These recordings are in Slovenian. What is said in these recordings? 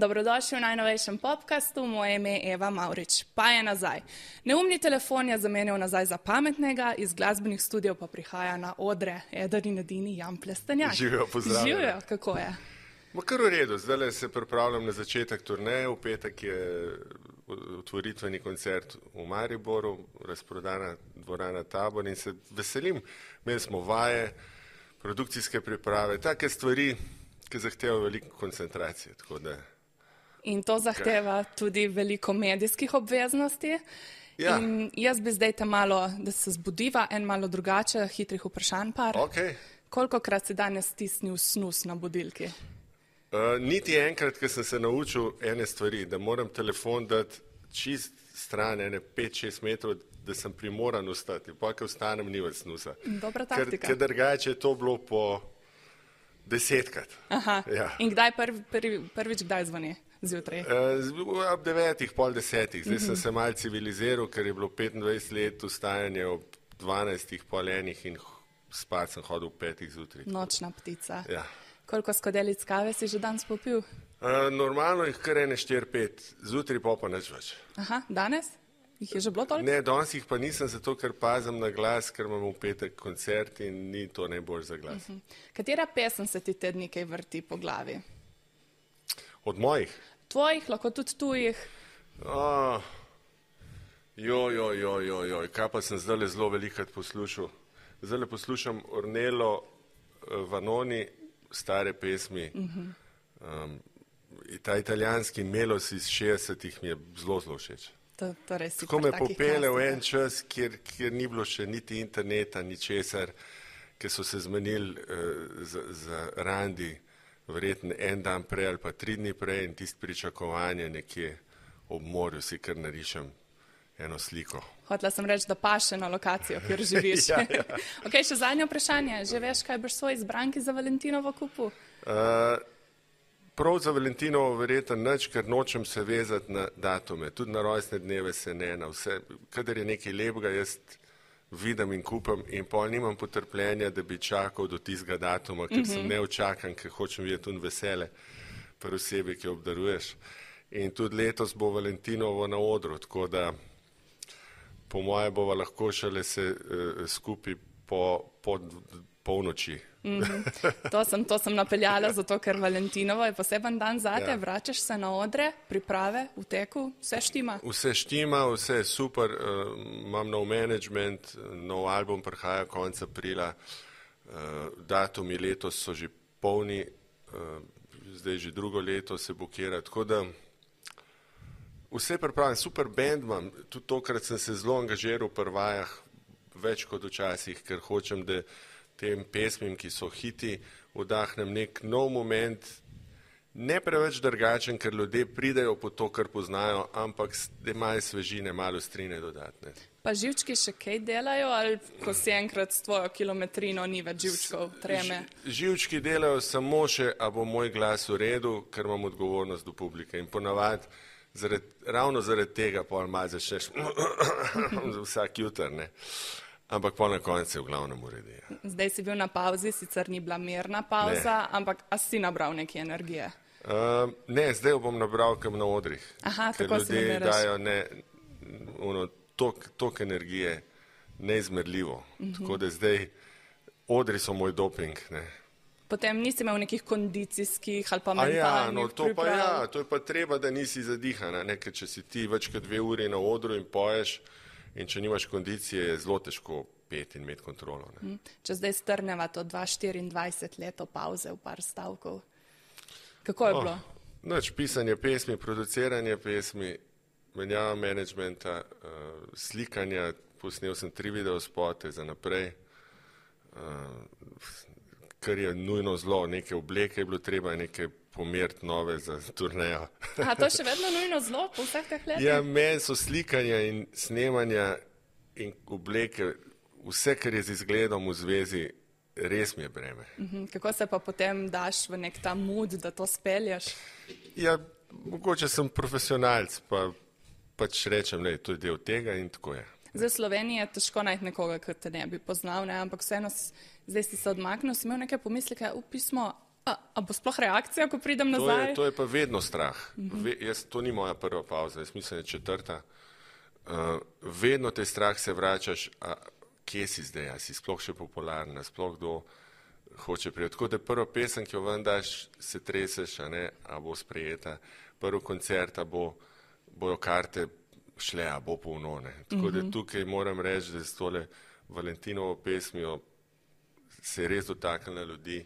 Dobrodošli v najnovejšem podcastu, moje ime je Eva Mavrič. Pa je nazaj. Neumni telefon je zamenjal nazaj za pametnega, iz glasbenih studijev pa prihaja na odre eden in edini Jan Plestenjak. Živijo, pozdravljeni. Živijo, kako je? Kar v redu, zdaj se pripravljam na začetek turneje, v petek je otvoritveni koncert v Mariboru, razprodana dvorana Tabor in se veselim. Imeli smo vaje, produkcijske priprave, take stvari, ki zahtevajo veliko koncentracije. In to zahteva tudi veliko medijskih obveznosti. Ja. In jaz bi zdaj te malo, da se zbudiva, en malo drugače, hitrih vprašanj par. Okay. Kolikokrat si danes stisnil snus na budilki? Niti enkrat, ker sem se naučil ene stvari, da moram telefon dati čist stran, 5-6 metrov, da sem primoran ustati. Pa, ker vstanem, ni več snusa. Dobra taktika. Ker drugače je to bilo po 10-krat. Aha. Ja. In kdaj prvič kdaj zvoni? Zjutraj? Ob 9, pol 10. Zdaj sem se malo civiliziral, ker je bilo 25 let vstajanje ob 12, pol 1 in spat sem hodil ob 5 zjutraj. Nočna ptica. Ja. Koliko skodelic kave si že danes popil? Normalno jih kar 4-5, zjutraj pa nič več. Aha, danes? Jih je že bilo toliko? Ne, danes jih pa nisem, zato ker pazim na glas, ker imam v petek koncert in ni to najbolj za glas. Katera pesem se ti te dni kaj vrti po glavi? Od mojih? Tvojih, lahko tudi tujih? Kaj pa sem zdaj zelo velikrat poslušal. Zdaj poslušam Ornello Vanoni, stare pesmi. Ta italijanski melos iz 60-ih mi je zelo všeč. Tako me popele v en čas, kjer ni bilo še niti interneta, ni česar, ker so se zmenili za randi, verjetno en dan prej ali pa 3 dni prej in tisto pričakovanje nekje ob morju si kar narišem eno sliko. Hotela sem reči, da paše na lokacijo, kjer živiš. Ja. Ok, še zadnje vprašanje. Že veš, kaj boš svoj izbranki za Valentinovo kupil? Prav za Valentinovo verjetno nič, ker nočem se vezati na datume. Tudi na rojstne dneve se ne, na vse. Kadar je nekaj lepega, jaz vidim in kupam in pol nimam potrpljenja, da bi čakal do tistega datuma, ker sem neočakan, ker hočem videti tudi vesele pri osebi, ki obdaruješ. In tudi letos bo Valentinovo na odru, tako da po moje bova lahko šele se skupaj po polnoči. To sem napeljala, zato ker Valentinovo je poseben dan zate, ja. Vračaš se na odre, priprave, v teku, vse štima? Vse štima, vse je super, imam nov management, nov album prihaja konec aprila, datumi letos so že polni, zdaj že drugo leto se bukira, tako da vse pripravljam, super band imam, tudi tokrat sem se zelo angažiral v vajah, več kot včasih, ker hočem, da tem pesmim, ki so hiti, vdahnem nek nov moment, ne preveč drugačen, ker ljudje pridejo po to, kar poznajo, ampak da malo svežine, malo strine dodatne. Pa živčki še kaj delajo, ali ko si enkrat s tvojo kilometrino ni več živčkov, treme? Živčki delajo samo še, a bo moj glas v redu, ker imam odgovornost do publike in ponavadi ravno zaradi tega pol malo začneš vsak jutr, ne. Ampak po na koncu je v glavnem uredi. Zdaj si bil na pauzi, sicer ni bila mirna pauza, ampak a si nabral neke energije? Ne, zdaj jo bom nabral kam na odrih. Aha, ker tako si ljudje dajo tok energije neizmerljivo. Tako da zdaj odri so moj doping, ne. Potem nisi imel nekih kondicijskih ali pa mentalnih priprav? To je pa treba, da nisi zadihana, ne, ker če si ti več kot 2 uri na odru in poješ, in če nimaš kondicije, je zelo težko peti in imeti kontrolo. Ne. Če zdaj strneva to 24 leto pauze v par stavkov, kako je bilo? Nič, pisanje pesmi, produciranje pesmi, menjava menedžmenta, slikanja, posnel sem 3 videospote za naprej, kar je nujno zlo, neke obleke je bilo treba, neke pomeriti nove za turnejo. A to še vedno nujno zlo po vseh teh letih? Ja, meni so slikanja in snemanja in obleke, vse, kar je z izgledom v zvezi, res mi je breme. Kako se pa potem daš v nek ta mood, da to spelješ? Ja, mogoče sem profesionalc, pa pač rečem, da to je del tega in tako je. Zdaj v Sloveniji je težko najti nekoga, ki te ne bi poznal, ne? Ampak vseeno zdaj si se odmaknil, si imel neke pomisleke, pismo, A bo sploh reakcija, ko pridem nazaj? To je pa vedno strah. To ni moja prva pauza, jaz mislim, da je četrta. Vedno te strah se vračaš, kje si zdaj, a si sploh še popularna, sploh kdo hoče prijeti. Tako da prva pesem, ki jo ven daš, se treseš, a bo sprejeta. Prvi koncert, bojo karte šle, a bo polno. Tako da tukaj moram reči, da s tole Valentinovo pesmijo se je res dotaknila ljudi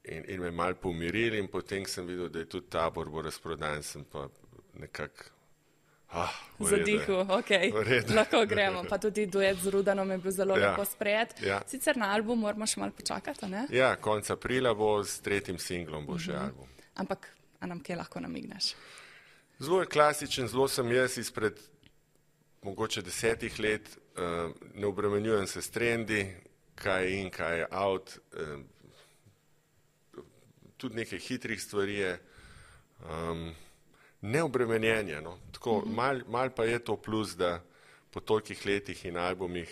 in me malo pomirili in potem sem videl, da je tudi tabor bo razprodan, sem pa nekako zadihal, lahko gremo. Pa tudi duet z Rudanom je bil zelo lepo sprejet. Ja. Sicer na album moramo še malo počakati, ne? Ja, konec aprila bo s 3. singlom bo še album. Ampak, a nam kje lahko namigneš? Zelo je klasičen, zelo sem jaz izpred mogoče 10 let, ne obremenjujem se s trendi, kaj je in kaj je out, tudi nekaj hitrih stvari je, neobremenjenje, no. Tako, mal pa je to plus, da po tolikih letih in albumih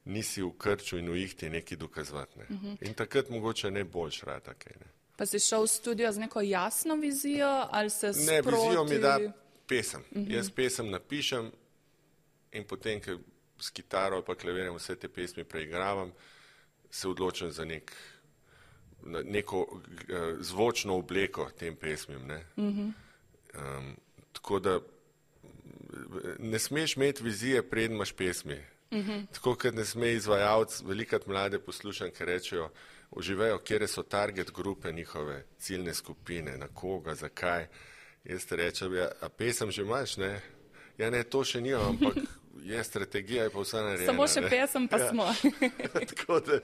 nisi v krču in v ihti nekaj dokazovati, ne. In takrat mogoče ne boljš rata kaj, ne. Pa si šel v studio z neko jasno vizijo ali se sproti? Ne, vizijo mi da pesem. Jaz pesem napišem in potem, ko s kitaro ali pa klavirjem vse te pesmi preigravam, se odločim za neko zvočno obleko tem pesmim, ne. Tako da ne smeš imeti vizije, preden imaš pesmi. Tako, kot ne sme izvajalc, velikrat mlade poslušam, ki rečejo, uživajo, kjere so target grupe njihove, ciljne skupine, na koga, zakaj. Jaz te rečem, a pesem že imaš, ne? Ja, ne, to še nimam, ampak je strategija, je pa vsa narejena. Samo še pesem pa smo. Tako da,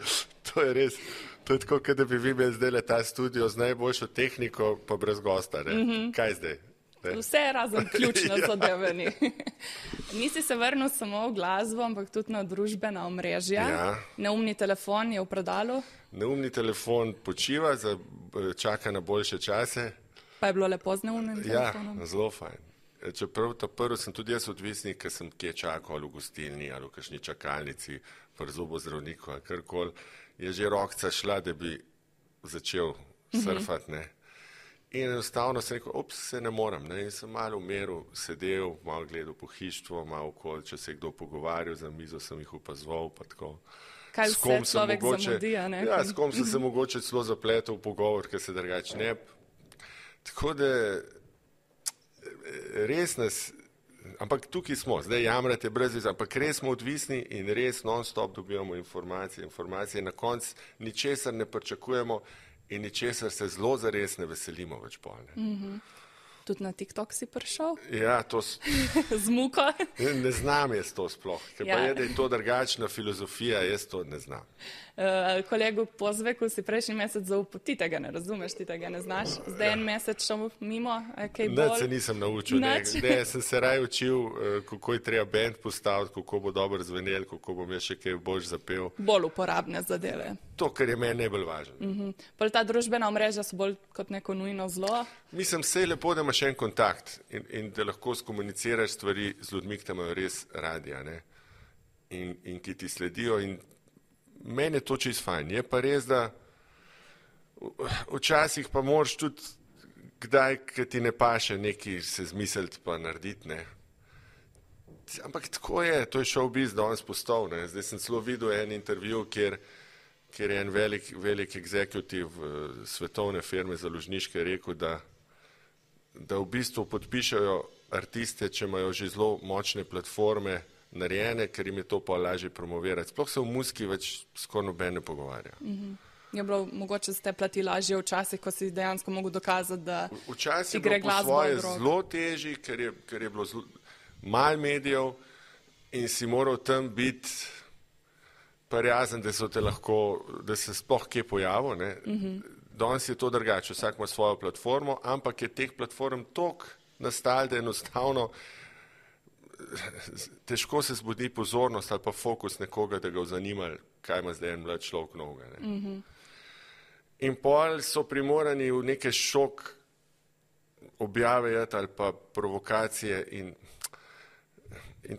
to je res, to je tako, kot da bi vi imeli zdaj ta studio z najboljšo tehniko, pa brez gosta, ne? Kaj zdaj? Vse razen ključno zadeveni. Nisi se vrnil samo v glasbo, ampak tudi na družbena omrežja. Ja. Neumni telefon je v predalu. Neumni telefon počiva, čaka na boljše čase. Pa je bilo lepo z neumnim telefonom? Ja, zelo fajn. Čeprav ta prvi sem tudi jaz odvisnik, ker sem kje čakal ali v gostilni ali v kakšni čakalnici, pri zobozdravniku ali karkoli, je že rokca šla, da bi začel surfati, ne. In enostavno sem rekel, se ne morem, ne, in sem malo v miru sedel, malo gledal pohištvo, malo okoli, če se je kdo pogovarjal, za mizo sem jih opazoval, pa tako. Kaj vse človek zamudi, a ne? Ja, s kom sem se mogoče celo zapletel v pogovor, ker se drugače ne. Tako da res nas, ampak tukaj smo, zdaj jamrate brez veze, ampak res smo odvisni in res non-stop dobivamo informacije, na koncu ničesar ne pričakujemo in ničesar se zelo zares ne veselimo več polne. Tudi na TikTok si prišel? Ja, to z muko? Ne znam jaz to sploh, ker pa je, da je to drugačna filozofija, jaz to ne znam. Kolegu Pozveku si prejšnji mesec zaupal, ti tega ne razumeš, ti tega ne znaš, zdaj en mesec šel mimo, kaj bolj? Nič se nisem naučil, ne, sem se raj učil, kako je treba band postaviti, kako bo dobro zvenel, kako bom jaz še kaj boljš zapel. Bolj uporabne zadeve. To, kar je meni najbolj važno. Pol ta družbena omrežja so bolj kot neko nujno zlo? Mislim, se je lepo, da imaš en kontakt in da lahko skomuniciraš stvari z ljudmi, ki te imajo res radi, ne? In ki ti sledijo in meni je to čisto fajn. Je pa res, da včasih pa moraš tudi kdaj, ki ti ne paše nekaj se zmisliti pa narediti, ne. Ampak tako je, to je showbiz danes postal, ne. Zdaj sem celo videl en intervju, kjer je en velik executive svetovne firme založniške rekel, da v bistvu podpišajo artiste, če imajo že zelo močne platforme narejene, ker jim je to pa lažje promovirati. Sploh se v muziki več skoraj noben ne pogovarja. Je bilo mogoče ste plati lažje včasih, ko si dejansko mogel dokazati, da včasih ti gre glasba od rok. Včasih je bilo po svoje zelo težji, ker je bilo malo medijev in si moral tam biti prijazen, da so te lahko, da se sploh kje pojavil, ne. Danes je to drugače, vsak ima svojo platformo, ampak je teh platform toliko nastalo, da enostavno težko se zbudi pozornost ali pa fokus nekoga, da ga v zanimali, kaj ima zdaj en mlad človek novega, ne. In pol so primorani v neke šok objave ali pa provokacije in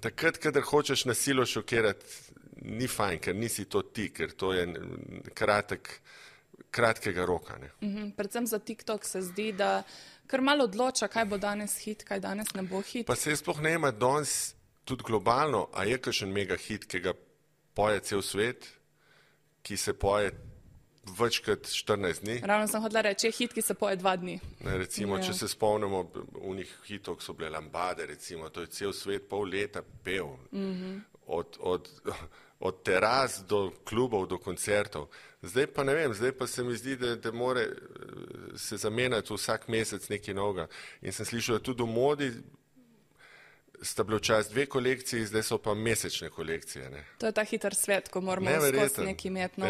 takrat, kadar hočeš na silo šokirati, ni fajn, ker nisi to ti, ker to je kratkega roka. Ne. Predvsem za TikTok se zdi, da kar malo odloča, kaj bo danes hit, kaj danes ne bo hit. Pa se sploh ne ima danes tudi globalno, a je kakšen mega hit, ki ga poje cel svet, ki se poje večkrat 14 dni. Ravno sem hodila reči, je hit, ki se poje 2 dni. Ne, recimo, če se spomnimo unih hitov, so bile Lambade, recimo, to je cel svet pol leta pel. Od teras do klubov, do koncertov. Zdaj pa ne vem, zdaj pa se mi zdi, da more se zamenjati vsak mesec nekaj novega. In sem slišal, da tudi v modi sta bile včasih 2 kolekciji, zdaj so pa mesečne kolekcije. Ne. To je ta hiter svet, ko moramo skozi nekaj imeti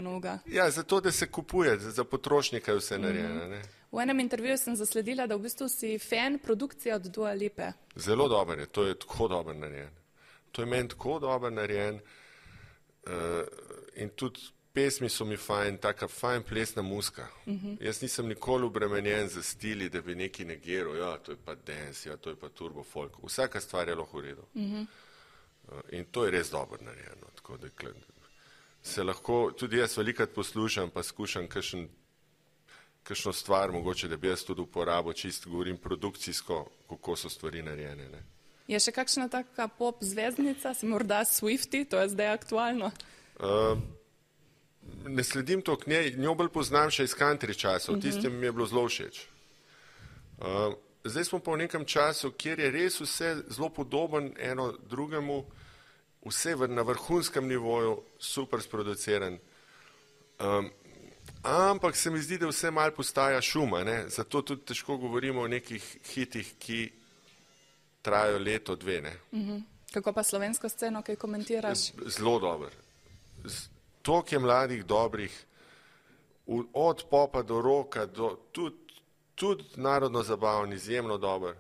noga. Ja, zato, da se kupuje, za potrošnika je vse narejeno. Ne. V enem intervjuju sem zasledila, da v bistvu si fan produkcije od Dua Lipe. Zelo dober je, to je tako dober narejen. To je meni tako dober narejen in tudi pesmi so mi fajn, taka fajn plesna muska. Jaz nisem nikoli obremenjen za stili, da bi neki negiral, ja, to je pa dance, ja, to je pa turbo folk. Vsaka stvar je lahko v redu. In to je res dober narejeno. Tako da se lahko, tudi jaz velikrat poslušam, pa skušam kakšno stvar, mogoče, da bi jaz tudi uporabil, čisto govorim produkcijsko, kako so stvari narejene. Ne. Je še kakšna taka pop zvezdnica, si morda Swiftie, to je zdaj aktualno? Ne sledim to k njej, njo bolj poznam še iz country časov, tistem mi je bilo zelo všeč. Zdaj smo pa v nekem času, kjer je res vse zelo podoben eno drugemu, vse na vrhunskem nivoju, super sproduciran. Ampak se mi zdi, da vse malo postaja šuma, ne? Zato tudi težko govorimo o nekih hitih, ki trajajo leto, 2. Ne? Kako pa slovensko sceno, kaj komentiraš? Zelo dober. Toliko je mladih dobrih, od popa do roka, tudi narodno zabaven, izjemno dober.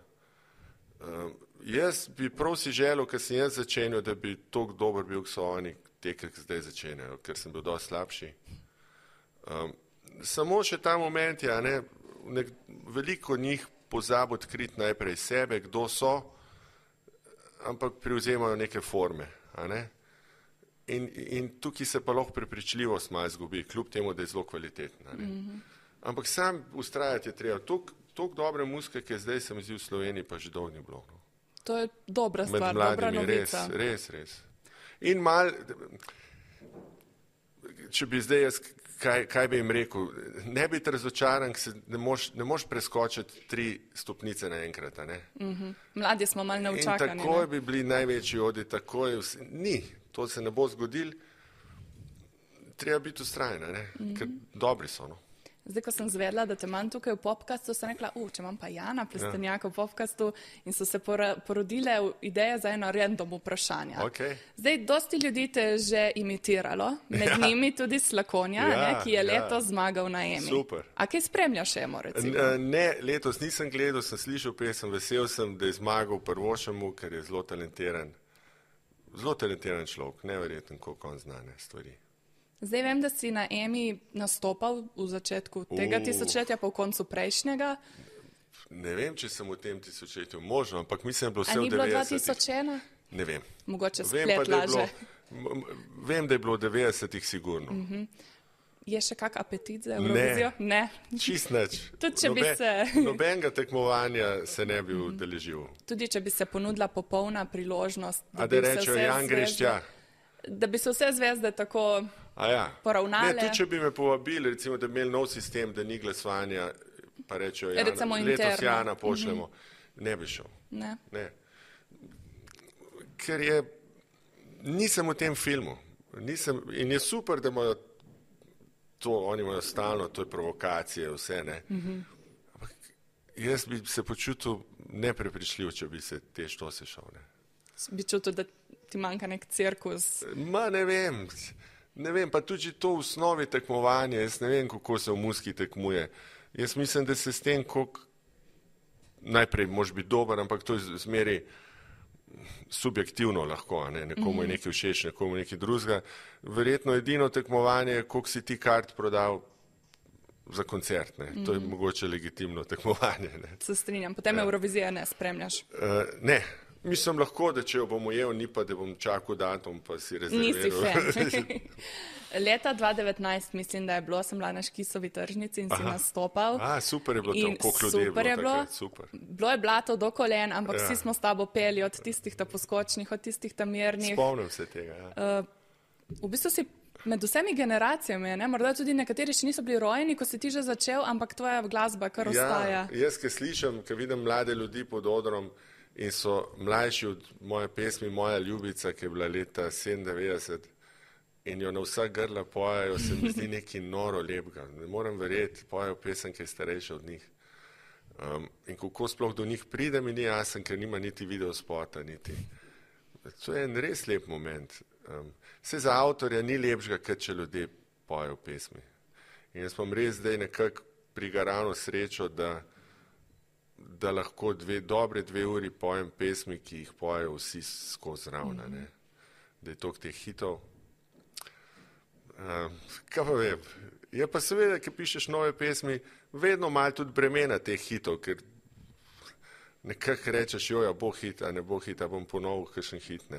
Jaz bi prav si želel, ker sem jaz začenjal, da bi toliko dober bil, so oni te, ki zdaj začenjajo, ker sem bil dosti slabši. Samo še ta moment je, veliko njih pozabo odkriti najprej sebe, kdo so, ampak privzemajo neke forme. In tukaj se pa lahko prepričljivost malo izgubi, kljub temu, da je zelo kvalitetna. Ampak sam ustrajati je treba. Toliko dobre muzike, ki je zdaj, se mi zdi v Sloveniji, pa že dolgo ni bilo. To je dobra stvar, dobra novica. Res. In malo, če bi zdaj jaz, kaj bi jim rekel, ne biti razočaran, ne moš preskočiti 3 stopnice naenkrat. Mladi smo malo neučakani. In takoj bi bili največji odi, takoj ni. To se ne bo zgodilo, treba biti vztrajen, ker dobri so. No. Zdaj, ko sem zvedla, da te imam tukaj v podcastu, sem rekla, če imam pa Jana Plestenjaka v podcastu in so se porodile ideje za eno random vprašanje. Okay. Zdaj, dosti ljudi te je že imitiralo, med njimi tudi Slakonja, ki je letos zmagal na Emi. Super. A kaj spremljaš Emo, recimo? Ne, letos nisem gledal, sem slišal pesem, vesel sem, da je zmagal prvošemu, ker je zelo talentiran. Zelo talentiran človek, neverjeten, koliko on zna stvari. Zdaj vem, da si na Emi nastopal v začetku tega tisočletja, pa v koncu prejšnjega. Ne vem, če sem v tem tisočletju možno, ampak mislim, da je bilo vse v 90-ih. A ni bilo 2001? Ne vem. Mogoče splet laže. Vem, da je bilo v 90-ih sigurno. Je še kak apetit za Eurovizijo? Ne. Čist nič. Tudi če bi se... Nobenega tekmovanja se ne bi udeležil. Tudi če bi se ponudila popolna priložnost, da rečejo, Jan, greš tja. Da bi se vse zvezde tako poravnale. Ne, tudi če bi me povabili, recimo, da bi imeli nov sistem, da ni glasovanja, pa rečejo, letos Jana pošljemo, ne bi šel. Ne. Ker nisem v tem filmu. In je super, da imajo to, oni imajo stalno, to je provokacije, vse, ne. Ampak jaz bi se počutil neprepričljiv, če bi se te štose šel, ne. Bi čutil, da ti manjka nek cirkus? Ne vem, pa tudi to v osnovi tekmovanje, jaz ne vem, kako se v muski tekmuje. Jaz mislim, da se s tem, koliko najprej moraš biti dober, ampak to je zmeri subjektivno lahko, ne? Nekomu je nekaj všeč, nekomu nekaj drugega. Verjetno edino tekmovanje je, koliko si ti kart prodal za koncert, ne? To je mogoče legitimno tekmovanje. Ne? Se strinjam, potem Eurovizije ne spremljaš? Ne. Mislim lahko, da če jo bom ujel, ni pa, da bom čakal datum, pa si rezerviral. Nisi fan. Leta 2019, mislim, da je bilo, sem bila na Škisovi tržnici in si nastopal. Super je bilo tam, koliko ljudi je bilo takrat, super. Bilo je blato do kolen, ampak vsi smo s tabo peli od tistih ta poskočnih, od tistih ta mirnih. Spomnim se tega, ja. V bistvu si med vsemi generacijami, ne? Morda tudi nekateri še niso bili rojeni, ko si ti že začel, ampak tvoja glasba kar ostaja. Jaz, ki slišim, ki vidim mlade ljudi pod odrom in so mlajši od moje pesmi, Moja ljubica, ki je bila leta 97 in jo na vsa grla pojajo, se mi zdi nekaj noro lepega. Ne morem verjeti, pojajo pesem, ki je starejša od njih. In kako sploh do njih pride, mi ni jasen, ker nima niti videospota, niti. To je en res lep moment. Vse za avtorja ni lepšega, kot če ljudje pojejo pesmi. In jaz imam res zdaj nekako prigarano srečo, da lahko dobre 2 uri pojem pesmi, ki jih pojejo vsi skozi ravna. Da je toliko teh hitov. Kaj pa vem? Je pa seveda, ki pišeš nove pesmi, vedno malo tudi bremena teh hitov, ker nekako rečeš, joja, bo hit, a ne bo hit, a bom ponovil kakšen hit, ne.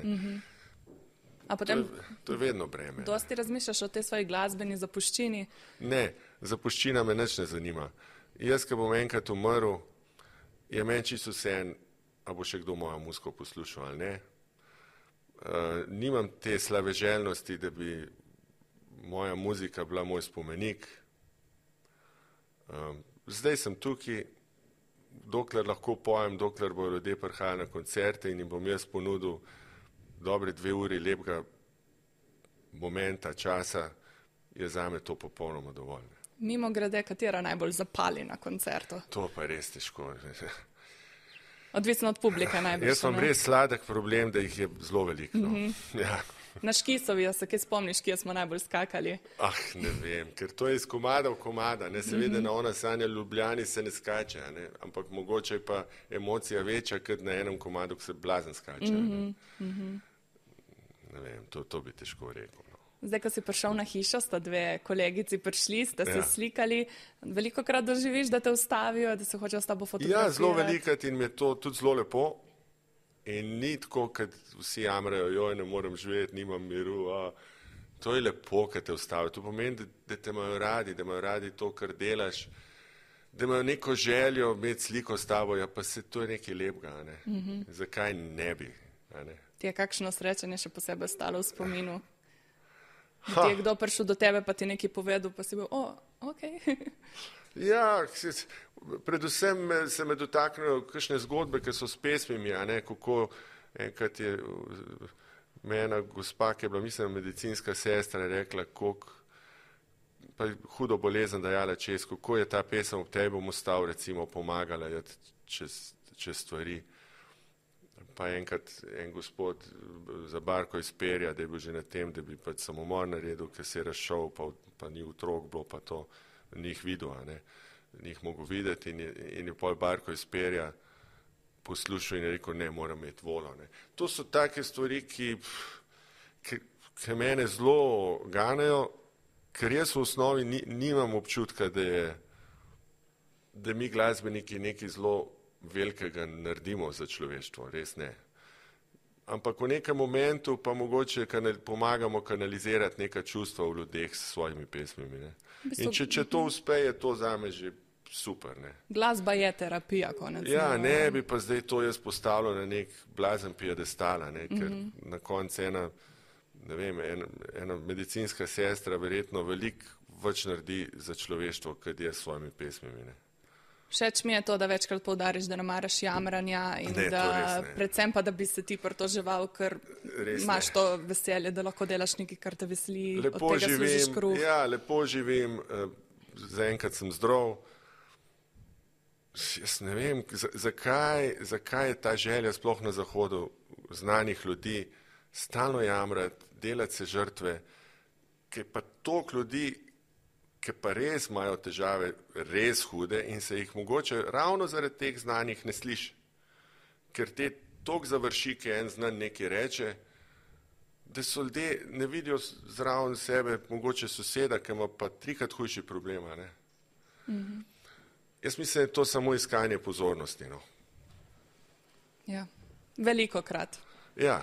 A potem to je vedno breme. Dosti razmišljaš o tej svoji glasbeni zapuščini? Ne, zapuščina me nič ne zanima. Jaz, ko bom enkrat umrl, je meni čisto vseeno, a bo še kdo mojo muziko poslušal ali ne. Nimam te slaveželjnosti, da bi moja muzika bila moj spomenik. Zdaj sem tukaj, dokler lahko pojem, dokler bojo ljudje prihajali na koncerte in jim bom jaz ponudil dobre 2 uri lepega momenta, časa, je zame to popolnoma dovolj. Mimo grede, katera najbolj zapali na koncertu? To pa je res težko. Odvisno od publike najbolj. Jaz imam res sladek problem, da jih je zelo veliko. No. Ja. Na Škisovi, se kaj spomniš, kje smo najbolj skakali? Ne vem, ker to je iz komada v komada. Seveda na ona Sanja Ljubljani se ne skače, ne? Ampak mogoče je pa emocija večja, kot na enem komadu, ko se blazen skače. Ne vem, to bi težko rekel. No. Zdaj, ko si prišel na hišo, sta 2 kolegici prišli, sta se slikali. Veliko krat doživiš, da te ustavijo, da se hočejo s tabo fotografirati? Ja, zelo velikrat in mi je to tudi zelo lepo. In ni tako, kad vsi jamrajo, joj, ne morem živeti, nimam miru. To je lepo, kad te ustavijo. To pomeni, da te imajo radi, da imajo radi to, kar delaš, da imajo neko željo imeti sliko s tabo, ja pa se to je nekaj lepega, ne. Zakaj ne bi, ne. Ti je kakšno srečanje še posebej ostalo v spominu? Ti je kdo prišel do tebe, pa ti nekaj povedal, pa si bil, okej. Ja, predvsem se me dotaknejo kakšne zgodbe, ki so s pesmimi, a ne, kako enkrat je mena gospa, ki je bila, mislim, medicinska sestra, rekla, pa hudo bolezen dajala čez, kako je ta pesem ob tebi bom ostal, recimo, pomagala čez stvari. Pa enkrat en gospod za barko iz Perja, da je bil že na tem, da bi pač samomor naredil, ker se je razšel, pa ni otrok bilo, pa to ni jih videl, ne. Ni jih mogel videti in je pol barko iz Perja poslušal in je rekel, ne, moram imeti volo. Ne. To so take stvari, ki mene zelo ganejo, ker jaz v osnovi nimam občutka, da mi glasbeniki nekaj zelo velikega naredimo za človeštvo, res ne. Ampak v nekem momentu pa mogoče pomagamo kanalizirati neka čustva v ljudeh s svojimi pesmimi. Ne. In če to uspe, je to zame že super. Ne. Glasba je terapija, konec. Ja, ne bi pa zdaj to jaz postavljal na nek blazen piedestal, ker na koncu ena medicinska sestra verjetno veliko več naredi za človeštvo, kot je s svojimi pesmimi. Ne. Všeč mi je to, da večkrat poudariš, da ne maraš jamranja in predvsem pa, da bi se ti pritoževal, ker imaš to veselje, da lahko delaš nekaj, kar te veseli, od tega služiš kruh. Ja, lepo živim, zaenkrat sem zdrav. Jaz ne vem, zakaj je ta želja sploh na zahodu znanih ljudi stalno jamrati, delati se žrtve, ker pa toliko ljudi, ki pa res imajo težave, res hude in se jih mogoče ravno zaradi teh znanjih ne sliši. Ker te toliko završi, ki en znan nekaj reče, da so ljudje ne vidijo zraven sebe, mogoče soseda, ki ima pa 3-krat hujši problema. Ne? Jaz mislim, da je to samo iskanje pozornosti. No. Ja. Velikokrat. Ja.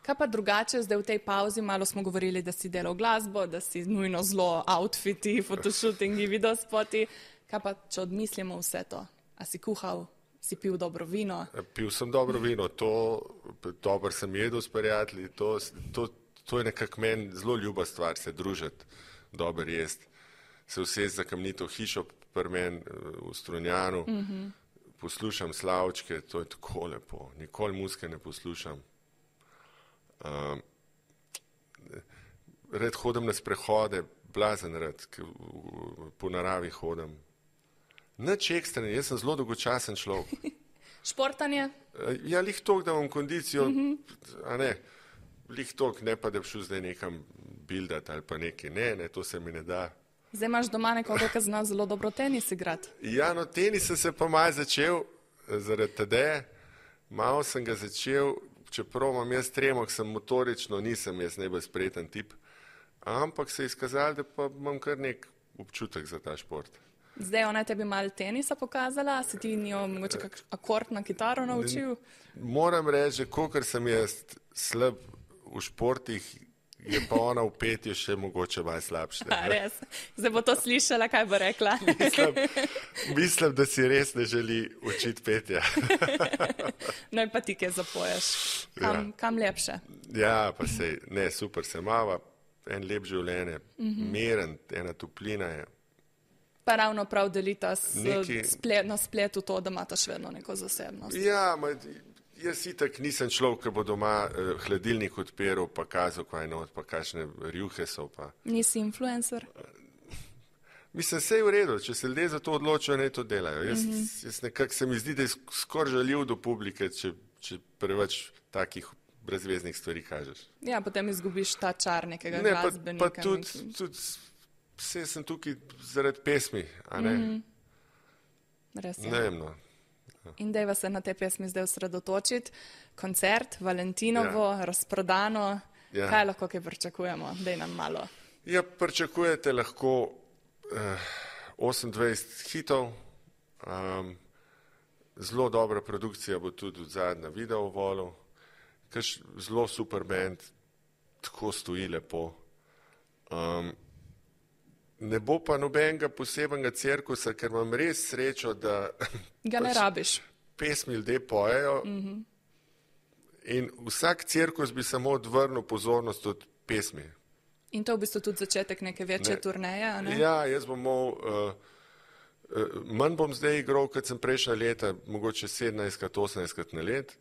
Kaj pa drugače, zdaj v tej pauzi, malo smo govorili, da si delal glasbo, da si nujno zelo outfiti, fotoshootingi, videospoti. Kaj pa, če odmislimo vse to? A si kuhal, si pil dobro vino? Pil sem dobro vino, dobro sem jedel s prijatelji, to je nekako meni zelo ljuba stvar, se družiti, dobro jesti, se usesti za kamnito hišo pri meni v Strunjanu, poslušam slavčke, to je tako lepo, nikoli muzike ne poslušam. Red hodim na sprehode, blazen red, po naravi hodim. Nič ekstreni, jaz sem zelo dolgočasen človek. Športanje? Ja, lih toliko, da imam kondicijo, a ne, lih toliko, ne pa, da bi šel zdaj nekam bildati ali pa nekaj, ne, to se mi ne da. Zdaj imaš doma nekoga, ki zna zelo dobro tenis igrati. Ja, no, tenis sem se pa malo začel, zaradi Tadeje, malo sem ga začel, čeprav imam jaz tremo, sem motorično, nisem jaz najbolj spreten tip, ampak se je izkazalo, da pa imam kar nek občutek za ta šport. Zdaj ona je tebi malo tenisa pokazala, si ti njo mogoče kak akord na kitaro naučil? Moram reči, kolikor sem jaz slab v športih, je pa ona v petju še mogoče malo slabše. Res, zdaj bo to slišala, kaj bo rekla. Mislim, da si res ne želi učiti petja. No in pa ti kaj zapoješ. Kam lepše? Ja, pa sej, ne, super se mava, en lep življenje, meren, ena toplina je. Pa ravno prav delita na spletu to, da imata še vedno neko zasebnost. Ja, jaz itak nisem človek, ki bo doma hladilnik odpiral, pa kazal, kaj not, pa kakšne rjuhe so. Pa. Nisi influencer? Mislim, vse je v redu, če se ljudje za to odločijo, naj to delajo. Jaz nekako se mi zdi, da je skoraj žaljiv do publike, če preveč takih brezveznih stvari kažeš. Ja, potem izgubiš ta čar nekega glasbenika. Pa tudi vse sem tukaj zaradi pesmi, a ne? Res je. Ne vem, no. In dajva se na te pesmi zdaj osredotočiti. Koncert, Valentinovo, razprodano. Ja. Kaj lahko kaj pričakujemo? Daj nam malo. Ja, pričakujete lahko 28 hitov. Zelo dobra produkcija bo tudi od zadnja video v Volu. Zelo super band, tako stoji lepo. Ne bo pa nobenega posebnega cirkusa, ker imam res srečo, da ga ne rabiš. Pesmi ljudje pojejo in vsak cirkus bi samo odvrnil pozornost od pesmi. In to v bistvu tudi začetek neke večje turneje, a ne? Ja, jaz bom manj bom zdaj igral, kot sem prejšnja leta, mogoče 17-18 na let.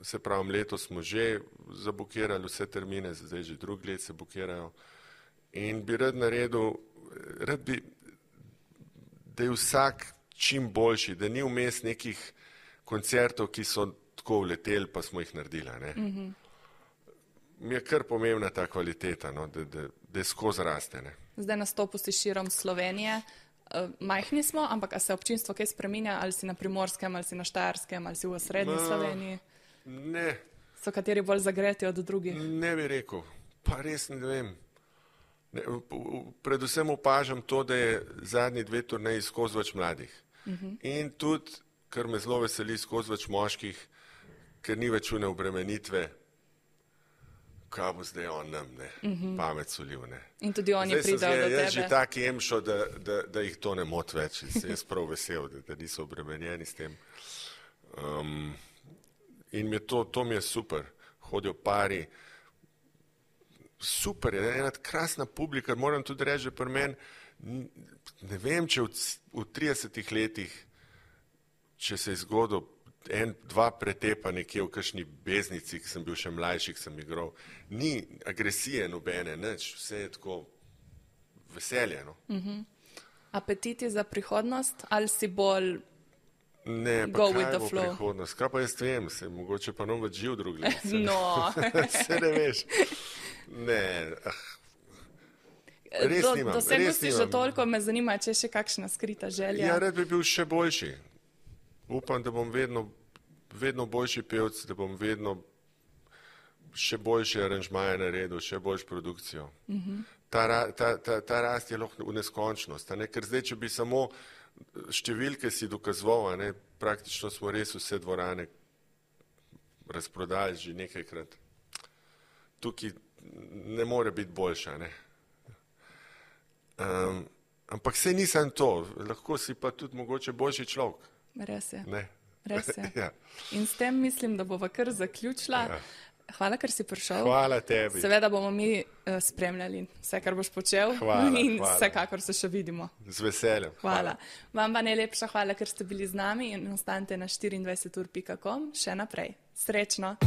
Se pravim, letos smo že zabukirali vse termine, zdaj že drugi let se bukirajo. In bi rad naredil, da je vsak čim boljši, da ni vmes nekih koncertov, ki so tako vleteli, pa smo jih naredili. Mi je kar pomembna ta kvaliteta, no, da je skozi raste. Ne. Zdaj nastopu si širom Slovenije. Majhni smo, ampak a se občinstvo kaj spreminja, ali si na Primorskem, ali si na Štajerskem, ali si v srednji Sloveniji? Ne. So kateri bolj zagreti od drugih? Ne bi rekel, pa res ne vem. Predvsem opažam to, da je zadnji 2 turneji skozi več mladih. In tudi, kar me zelo veseli, skozi več moških, ker ni več une obremenitve, kaj bo zdaj on nam, ne, pamet solil, ne. In tudi oni pridajo do tebe. Jaz že taki emšo, da jih to ne mot več. Jaz prav vesel, da niso obremenjeni s tem. In to mi je super. Hodijo pari. Super je, ena krasna publika, moram tudi reči, pri meni, ne vem, če v 30 letih, če se je zgodil 1-2 pretepa nekje v kakšni beznici, ki sem bil še mlajši, ki sem igral, ni agresije nobene, nič, vse je tako veselje. No. Apetiti za prihodnost ali si bolj ne, go with the flow? Ne, pa kaj bo prihodnost, kaj pa jaz vem, se mogoče pa nam več živ drugi let. No. Se ne veš. Ne, res nimam. Dosegnosti že toliko, me zanima, če je še kakšna skrita želja. Ja, rad bi bil še boljši. Upam, da bom vedno boljši pevc, da bom vedno še boljše aranžmaje naredil, še boljšo produkcijo. Ta rast je lahko v neskončnost, ker zdaj, če bi samo številke si dokazoval, praktično smo res vse dvorane razprodali že nekajkrat. Tukaj ne more biti boljša, ne. Ampak saj nisem to, lahko si pa tudi mogoče boljši človek. Res je. Ne. Res je. Ja. In s tem mislim, da bova kar zaključila. Ja. Hvala, ker si prišel. Hvala tebi. Seveda bomo mi spremljali vse, kar boš počel. Hvala, in hvala. Vsekakor se še vidimo. Z veseljem. Hvala. Vam pa najlepša hvala, ker ste bili z nami in ostanite na 24ur.com še naprej. Srečno!